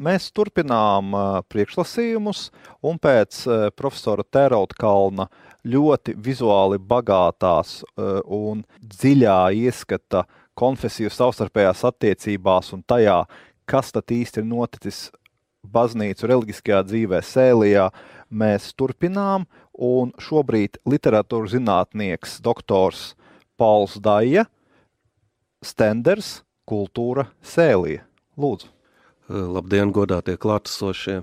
Mēs turpinām priekšlasījumus, un pēc profesora Tērauda ļoti vizuāli bagātās un dziļā ieskata konfesiju savstarpējās attiecībās un tajā, kas tad īsti ir noticis baznīcu reliģiskajā dzīvē Sēlijā, mēs turpinām, un šobrīd literatūras zinātnieks doktors Pauls Daija, Stenders, Kultūra Sēlija. Lūdzu. Labdien, godātie klātesošie.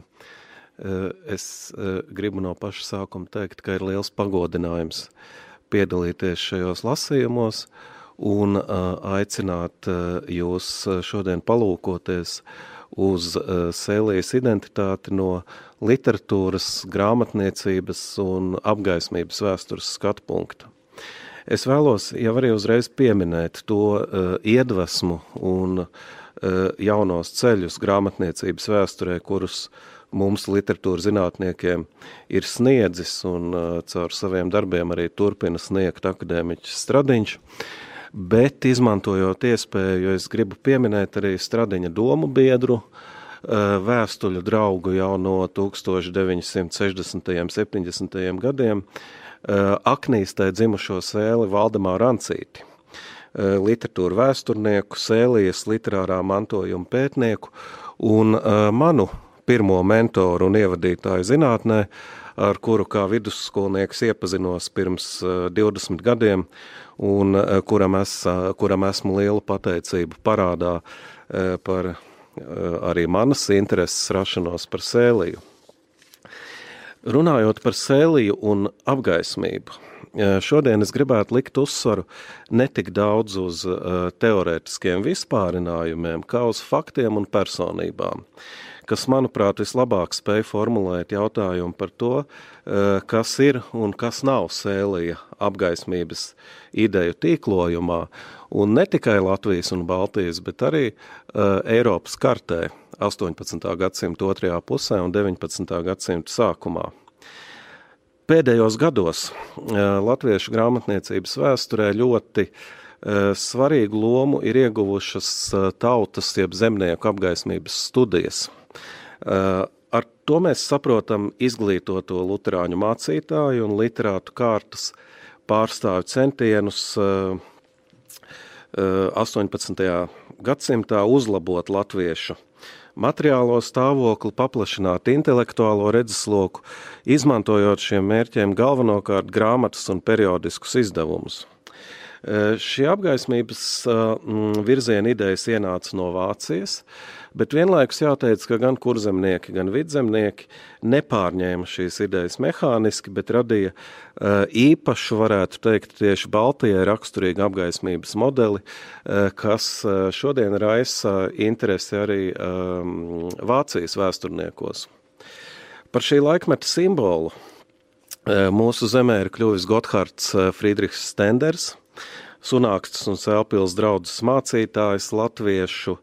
Es gribu no paša sākuma teikt, ka ir liels pagodinājums piedalīties šajos lasījumos un aicināt jūs šodien palūkoties uz Sēlijas identitāti no literatūras, grāmatniecības un apgaismības vēstures skatu punkta. Es vēlos jau arī uzreiz pieminēt to iedvesmu un jaunos ceļus grāmatniecības vēsturē, kurus mums literatūras zinātniekiem ir sniedzis un caur saviem darbiem arī turpina sniegt akadēmiķis Stradiņš, bet izmantojot iespēju, jo es gribu pieminēt arī Stradiņa domu biedru, vēstuļu draugu jau no 1960. un 70. gadiem, Aknīstē dzimušo Sēli Valdemāru Ancīti, literatūru vēsturnieku, Sēlijas literārā mantojuma pētnieku un manu pirmo mentoru un ievadītāju zinātnē, ar kuru kā vidusskolnieks iepazinos pirms 20 gadiem un kuram esmu lielu pateicību parādā par arī manas intereses rašanos par Sēliju. Runājot par Sēliju un apgaismību, šodien es gribētu likt uzsvaru ne tik daudz uz teorētiskiem vispārinājumiem, kā uz faktiem un personībām, kas, manuprāt, vislabāk spēj formulēt jautājumu par to, kas ir un kas nav Sēlija apgaismības ideju tīklojumā, un ne tikai Latvijas un Baltijas, bet arī Eiropas kartē 18. gadsimta otrajā pusē un 19. gadsimta sākumā. Pēdējos gados latviešu grāmatniecības vēsturē ļoti svarīgu lomu ir ieguvušas tautas jeb zemnieku apgaismības studijas. Ar to mēs saprotam izglītoto luterāņu mācītāju un literātu kārtas pārstāvju centienus 18. gadsimtā uzlabot latviešu materiālo stāvokli, paplašināt intelektuālo redzesloku, izmantojot šiem mērķiem galvenokārt grāmatas un periodiskus izdevumus. Šie apgaismības virziena idejas ienāca no Vācijas, bet vienlaikus jāteic, ka gan kurzemnieki, gan vidzemnieki nepārņēma šīs idejas mehāniski, bet radīja īpašu, varētu teikt, tieši Baltijai raksturīgu apgaismības modeli, kas šodien raisa interesi arī Vācijas vēsturniekos. Par šī laikmeta simbolu mūsu zemē ir kļuvis Gothards Friedrichs Stenders, Sunākstes un Sēlpils draudzes mācītājs, latviešu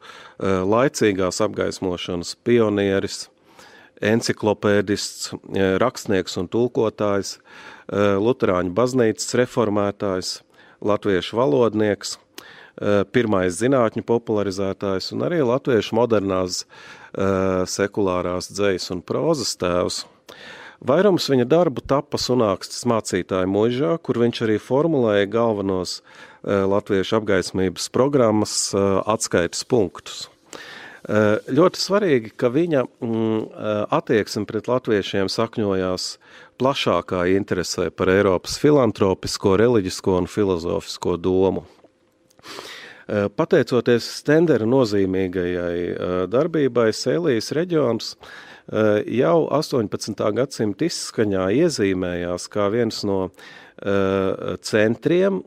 laicīgās apgaismošanas pionieris, enciklopēdists, rakstnieks un tulkotājs, luterāņu baznīcas reformētājs, latviešu valodnieks, pirmais zinātņu popularizētājs un arī latviešu modernās sekulārās dzejas un prózas tēvs. Vairums viņa darbu tapa Sunākstes mācītāja mūžā, kur viņš arī formulēja galvenos latviešu apgaismības programmas atskaites punktus. Ļoti svarīgi, ka viņa attieksme pret latviešiem sakņojās plašākā interesē par Eiropas filantropisko, reliģisko un filozofisko domu. Pateicoties Stendera nozīmīgajai darbībai, Sēlijas reģions jau 18. gadsimta izskaņā iezīmējās kā viens no centriem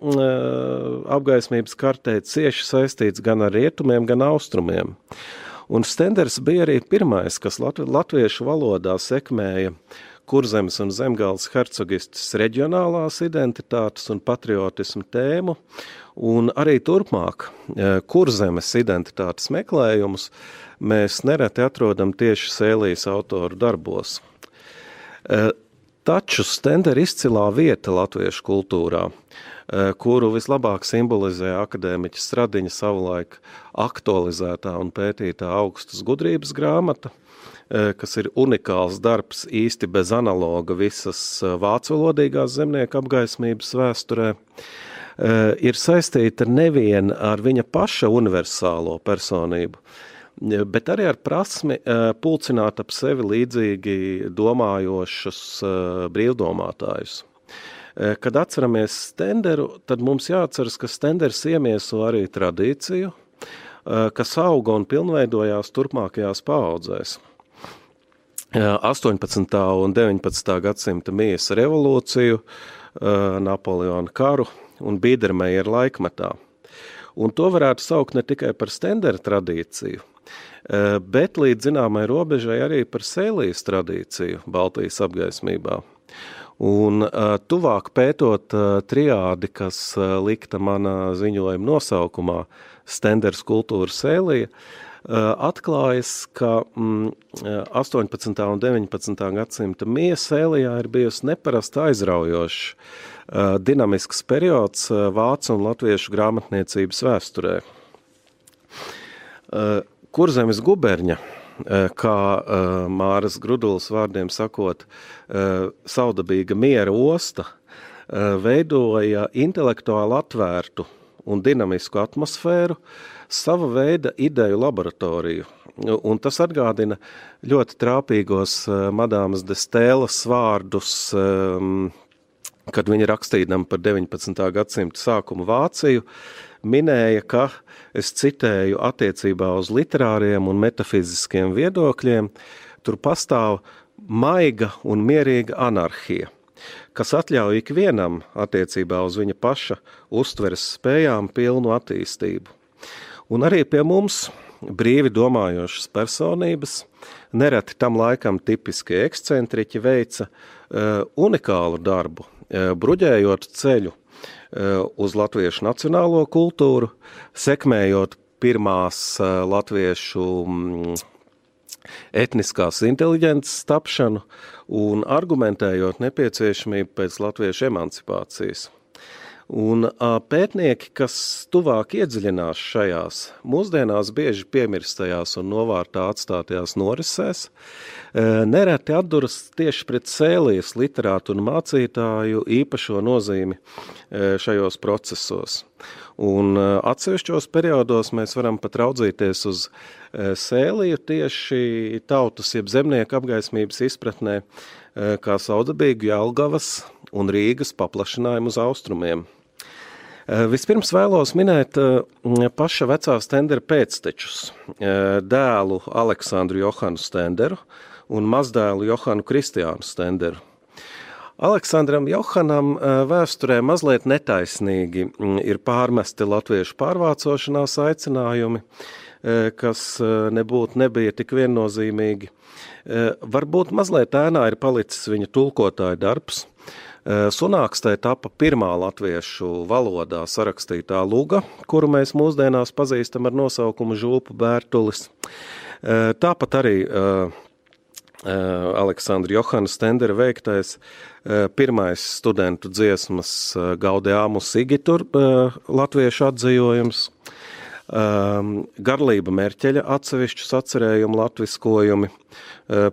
apgaismības kartē, cieši saistīts gan ar rietumiem, gan austrumiem. Un Stenders bija arī pirmais, kas latviešu valodā sekmēja Kurzemes un Zemgales hercogistes reģionālās identitātes un patriotismu tēmu, un arī turpmāk Kurzemes identitātes meklējumus mēs nereti atrodam tieši Sēlijas autoru darbos. Taču Stendera izcilā vieta latviešu kultūrā kuru vislabāk simbolizē akadēmiķa Stradiņa savulaik aktualizētā un pētītā augstas gudrības grāmata, kas ir unikāls darbs īsti bez analoga visas vācu valodīgās zemnieku apgaismības vēsturē, ir saistīta nevien ar viņa paša universālo personību, bet arī ar prasmi pulcināt ap sevi līdzīgi domājošus brīvdomātājus. Kad atceramies Stenderu, tad mums jāatceras, ka Stenders iemieso arī tradīciju, kas auga un pilnveidojās turpmākajās paaudzēs. 18. un 19. gadsimta miesa revolūciju, Napoleona karu un Biedermeieru laikmetā. Un to varētu saukt ne tikai par Stendera tradīciju, bet līdz zināmai robežai arī par Sēlijas tradīciju Baltijas apgaismībā. Un tuvāk pētot triādi, kas likta manā ziņojuma nosaukumā Stenders kultūra Sēlija, atklājas, ka 18. un 19. gadsimta miesa Sēlijā ir bijusi neparasti aizraujošs dinamisks periods vācu un latviešu grāmatniecības vēsturē. Kurzemes guberņa, kā Māras Grudulas vārdiem sakot, saudabīga miera osta, veidoja intelektuāli atvērtu un dinamisku atmosfēru, sava veida ideju laboratoriju. Un tas atgādina ļoti trāpīgos Madāmas de Stēlas vārdus, kad viņa rakstījām par 19. gadsimta sākumu Vāciju, minēja, ka, es citēju, attiecībā uz literāriem un metafiziskiem viedokļiem, tur pastāv maiga un mierīga anarhija, kas atļauj ikvienam attiecībā uz viņa paša uztveres spējām pilnu attīstību. Un arī pie mums brīvi domājošas personības, nereti tam laikam tipiski ekscentriķi veica unikālu darbu, bruģējot ceļu uz latviešu nacionālo kultūru, sekmējot pirmās latviešu etniskās inteliģences tapšanu un argumentējot nepieciešamību pēc latviešu emancipācijas. Un pētnieki, kas tuvāk iedziļinās šajās, mūsdienās bieži piemirstajās un novārtā atstātajās norisēs, nereti atduras tieši pret Sēlijas literātu un mācītāju īpašo nozīmi šajos procesos. Un atsevišķos periodos mēs varam pat raudzīties uz Sēliju tieši tautas jeb zemnieku apgaismības izpratnē, kā saudabīgu Jelgavas un Rīgas paplašinājumu uz austrumiem. Vispirms vēlos minēt paša vecā Stendera pēctečus, dēlu Aleksandru Johanu Stenderu un mazdēlu Johanu Kristiānu Stenderu. Aleksandram Johanam vēsturē mazliet netaisnīgi ir pārmesti latviešu pārvācošanās aicinājumi, kas nebija tik viennozīmīgi. Varbūt mazliet ēnā ir palicis viņa tulkotāja darbs. Sunākstē tapa pirmā latviešu valodā sarakstītā luga, kuru mēs mūsdienās pazīstam ar nosaukumu Žulpu Bērtulis. Tāpat arī Aleksandra Johana Stendera veiktais pirmais studentu dziesmas Gaudeamus Igitur latviešu atzījojums, Garlība Merķeļa atsevišķus atcerējumu latviskojumi,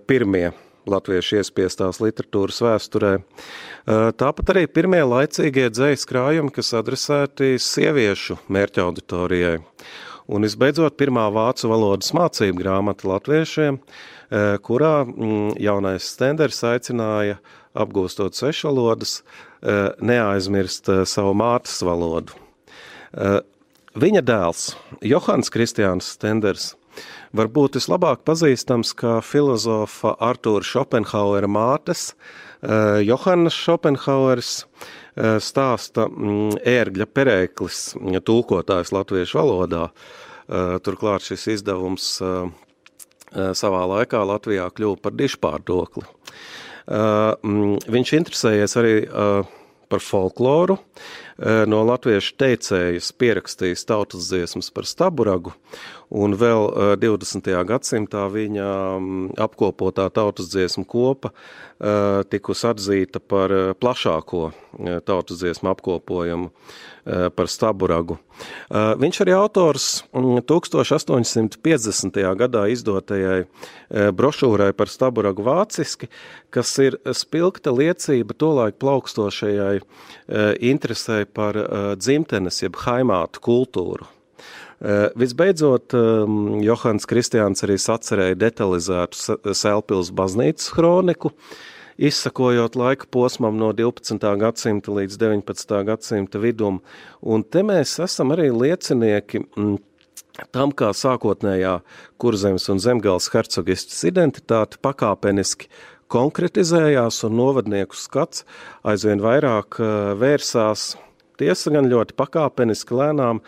pirmie latviešu iespiestās literatūras vēsturē. Tāpat arī pirmie laicīgie dzejas krājumi, kas adresēti sieviešu mērķa auditorijai. Un visbeidzot, pirmā vācu valodas mācību grāmata latviešiem, kurā jaunais Stenders aicināja, apgūstot svešvalodas, neaizmirst savu mātes valodu. Viņa dēls, Johans Kristiāns Stenders, varbūt vislabāk pazīstams kā filozofa Artūra Šopenhauera mātes, Johannas Šopenhaueris, stāsta ērgļa Pereiklis, tulkotājs latviešu valodā. Turklāt šis izdevums savā laikā Latvijā kļuva par dižpārdokli. Viņš interesējies arī par folkloru, no latviešu teicējas pierakstījis tautas dziesmas par Staburagu, un vēl 20. gadsimtā viņa apkopotā tautas dziesmu kopa tikus atzīta par plašāko tautas dziesmu apkopojumu par Staburagu. Viņš arī autors 1850. gadā izdotajai brošūrai par Staburagu vāciski, kas ir spilgta liecība tolaik plaukstošajai interesei par dzimtenes jeb haimātu kultūru. Visbeidzot, Johans Kristiāns arī sacerēja detalizētu Sēlpils baznīcas hroniku, izsakojot laika posmam no 12. gadsimta līdz 19. gadsimta vidum, un te mēs esam arī liecinieki tam, kā sākotnējā Kurzemes un Zemgales hercogistes identitāte pakāpeniski konkretizējās un novadnieku skats aizvien vairāk vērsās, tiesa gan ļoti pakāpeniski lēnām,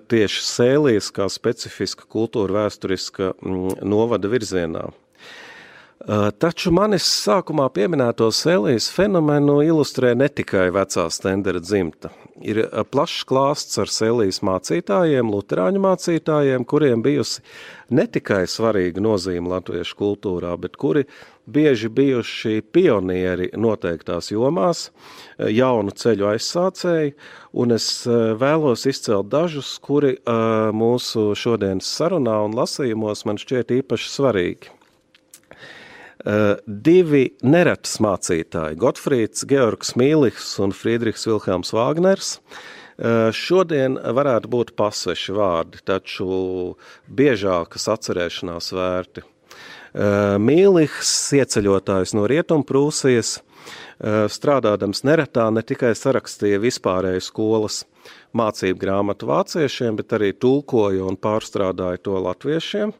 tieši Sēlijas kā specifiska kultūra vēsturiska novada virzienā. Taču manis sākumā pieminēto Sēlijas fenomenu ilustrē ne tikai vecā Stendera dzimta. Ir plašs klāsts ar Sēlijas mācītājiem, luterāņu mācītājiem, kuriem bijusi ne tikai svarīga nozīme latviešu kultūrā, bet kuri bieži bijuši pionieri noteiktās jomās, jaunu ceļu aizsācēji, un es vēlos izcelt dažus, kuri mūsu šodienas sarunā un lasījumos man šķiet īpaši svarīgi. Divi neretas mācītāji, Gotfrīds Georgs Mīlihs un Friedrichs Vilhelms Vāgners, šodien varētu būt pasveši vārdi, taču biežākas atcerēšanās vērti. Mīlihs, ieceļotājs no Rietumprūsijas, strādādams neretā ne tikai sarakstīja vispārēju skolas mācību grāmatu vāciešiem, bet arī tulkoja un pārstrādāja to latviešiem.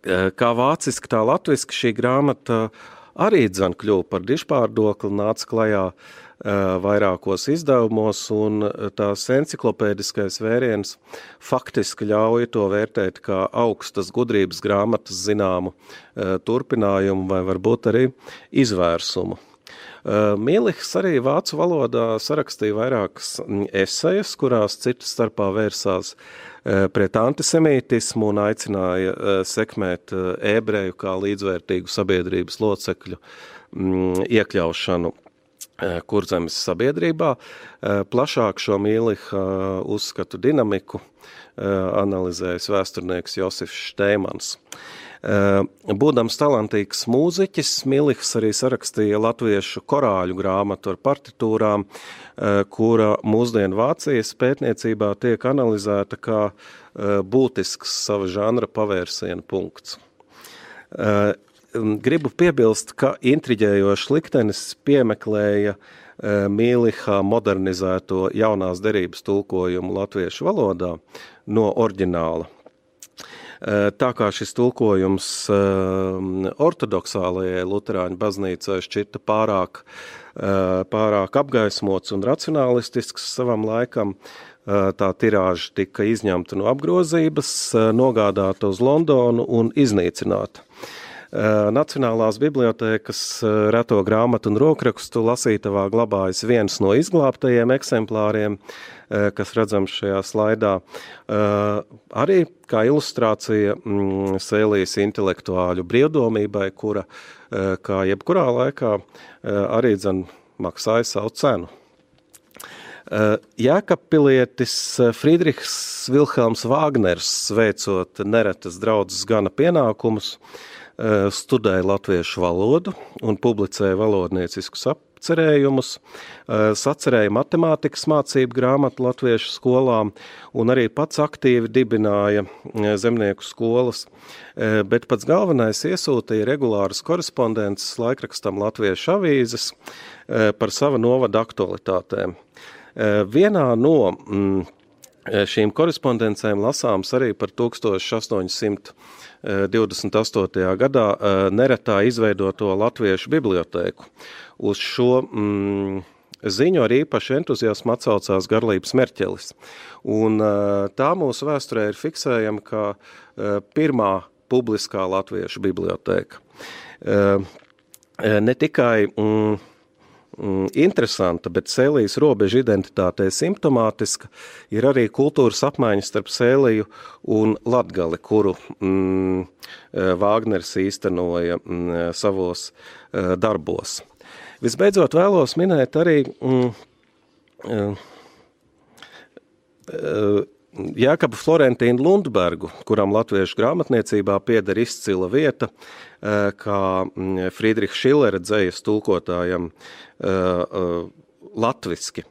Kā vāciski, tā latviski šī grāmata arī dzan kļuva par dižpārdokli, nāca klajā vairākos izdevumos, un tās enciklopēdiskais vēriens faktiski ļauj to vērtēt kā augstas gudrības grāmatas zināmu turpinājumu vai varbūt arī izvērsumu. Mīlihs arī vācu valodā sarakstīja vairākas esejas, kurās citas starpā vērsās pret antisemītismu un aicināja sekmēt ebreju kā līdzvērtīgu sabiedrības locekļu iekļaušanu Kurzemes sabiedrībā. Plašāk šo Mīliha uzskatu dinamiku analizējis vēsturnieks Josifs Štēmans. Būdams talantīgs mūziķis, Mīlihs arī sarakstīja latviešu korāļu grāmatu ar partitūrām, kura mūsdienu Vācijas pētniecībā tiek analizēta kā būtisks sava žanra pavērsiena punkts. Gribu piebilst, ka intriģējošs liktenis piemeklēja Mīliha modernizēto jaunās derības tulkojumu latviešu valodā no oriģināla. Tā kā šis tulkojums ortodoksālajai luterāņu baznīcai šķita pārāk apgaismots un racionālistisks savam laikam, tā tirāža tika izņemta no apgrozības, nogādāta uz Londonu un iznīcināta. Nacionālās bibliotēkas reto grāmatu un rokrakstu lasītavā glabājas viens no izglābtajiem eksemplāriem, kas redzams šajā slaidā, arī kā ilustrācija Sēlijas intelektuāļu brīvdomībai, kura, kā jebkurā laikā, arī maksāja savu cenu. Jēkabpilietis Friedrichs Vilhelms Vāgners, veicot neretas draudzes gana pienākumus, studēja latviešu valodu un publicēja valodnieciskus apcerējumus, sacerēja matemātikas mācību grāmatu latviešu skolām un arī pats aktīvi dibināja zemnieku skolas, bet pats galvenais iesūtīja regulāras korespondences laikrakstam Latviešu avīzes par sava novada aktualitātēm. Vienā no šīm korespondencēm lasāms arī par 1828. gadā neretā izveidoto latviešu bibliotēku. Uz šo ziņu ar īpašu entuziasmu atsaucās Garlības Merķelis. Un tā mūsu vēsturē ir fiksējama kā pirmā publiskā latviešu bibliotēka. Ne tikai interesanta, bet Sēlijas robeža identitātei simptomātiska ir arī kultūras apmaiņas starp Sēliju un Latgali, kuru Vāgners īstenoja savos darbos. Visbeidzot vēlos minēt arī Jēkabu Florentīnu Lundbergu, kuram latviešu grāmatniecībā pieder izcila vieta, kā Friedricha Šillera dzejas tulkotājam latviski.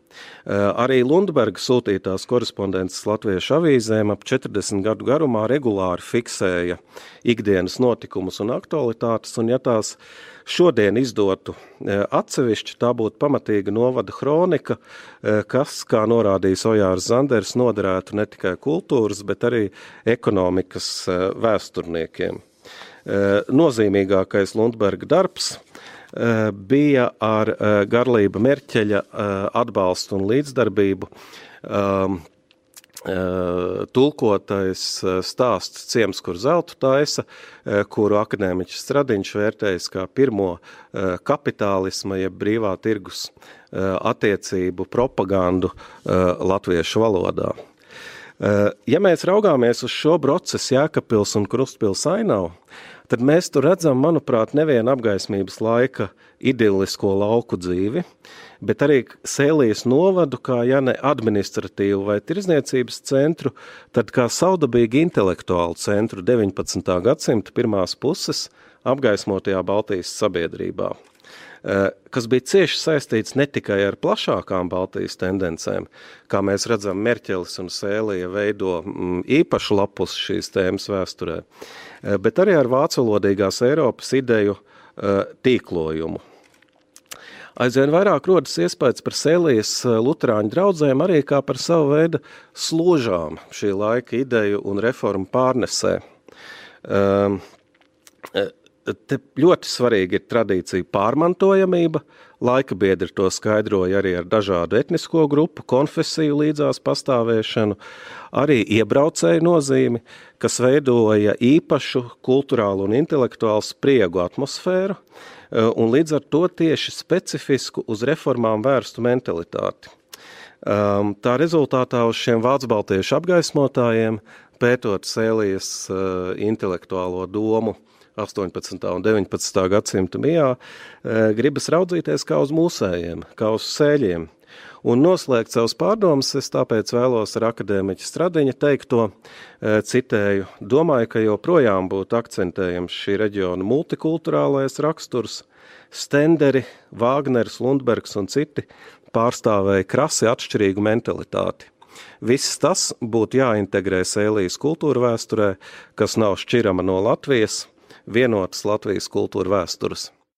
Arī Lundberga sūtītās korespondences latviešu avīzēm ap 40 gadu garumā regulāri fiksēja ikdienas notikumus un aktualitātes, un ja tās šodien izdotu atsevišķi, tā būtu pamatīga novada kronika, kas, kā norādījis Ojārs Zanders, noderētu ne tikai kultūras, bet arī ekonomikas vēsturniekiem. Nozīmīgākais Lundberga darbs bija ar Garlība Merķeļa atbalstu un līdzdarbību tulkotais stāsts Ciems, kur zeltu taisa, kuru akadēmiķis Stradiņš vērtējis kā pirmo kapitālisma, jeb brīvā tirgus attiecību propagandu latviešu valodā. Ja mēs raugāmies uz šo procesu Jēkabpils un Krustpils ainavu, tad mēs tur redzam, manuprāt, nevienu apgaismības laika idillisko lauku dzīvi, bet arī Sēlijas novadu kā, ja ne administratīvu vai tirzniecības centru, tad kā saudabīgi intelektuālu centru 19. gadsimta pirmās puses apgaismotajā Baltijas sabiedrībā, kas bija cieši saistīts ne tikai ar plašākām Baltijas tendencēm, kā mēs redzam, Merķelis un Sēlija veido īpašu lapus šīs tēmas vēsturē, bet arī ar vācolodīgās Eiropas ideju tīklojumu. Aizvien vairāk rodas iespējas par Sēlijas luterāņu draudzēm arī kā par savu veidu složām šī laika ideju un reformu pārnesē. Te ļoti svarīgi ir tradīcija pārmantojamība, laika biedri to skaidroja arī ar dažādu etnisko grupu, konfesiju līdzās pastāvēšanu, arī iebraucēju nozīmi, kas veidoja īpašu kulturālu un intelektuālu spriegu atmosfēru, un līdz ar to tieši specifisku uz reformām vērstu mentalitāti. Tā rezultātā uz šiem vācu-baltiešu apgaismotājiem, pētot Sēlijas intelektuālo domu 18. un 19. gadsimta mijā, gribas raudzīties kā uz mūsējiem, kā uz sēļiem. Un noslēgt savus pārdomas, es tāpēc vēlos ar akadēmiķa Stradiņa teikto, citēju, domāju, ka joprojām būtu akcentējams šī reģiona multikulturālais raksturs, Stenderi, Vāgners, Lundbergs un citi pārstāvēja krasi atšķirīgu mentalitāti. Viss tas būtu jāintegrē Sēlijas kultūra vēsturē, kas nav šķirama no Latvijas, vienotas Latvijas kultūra vēstures.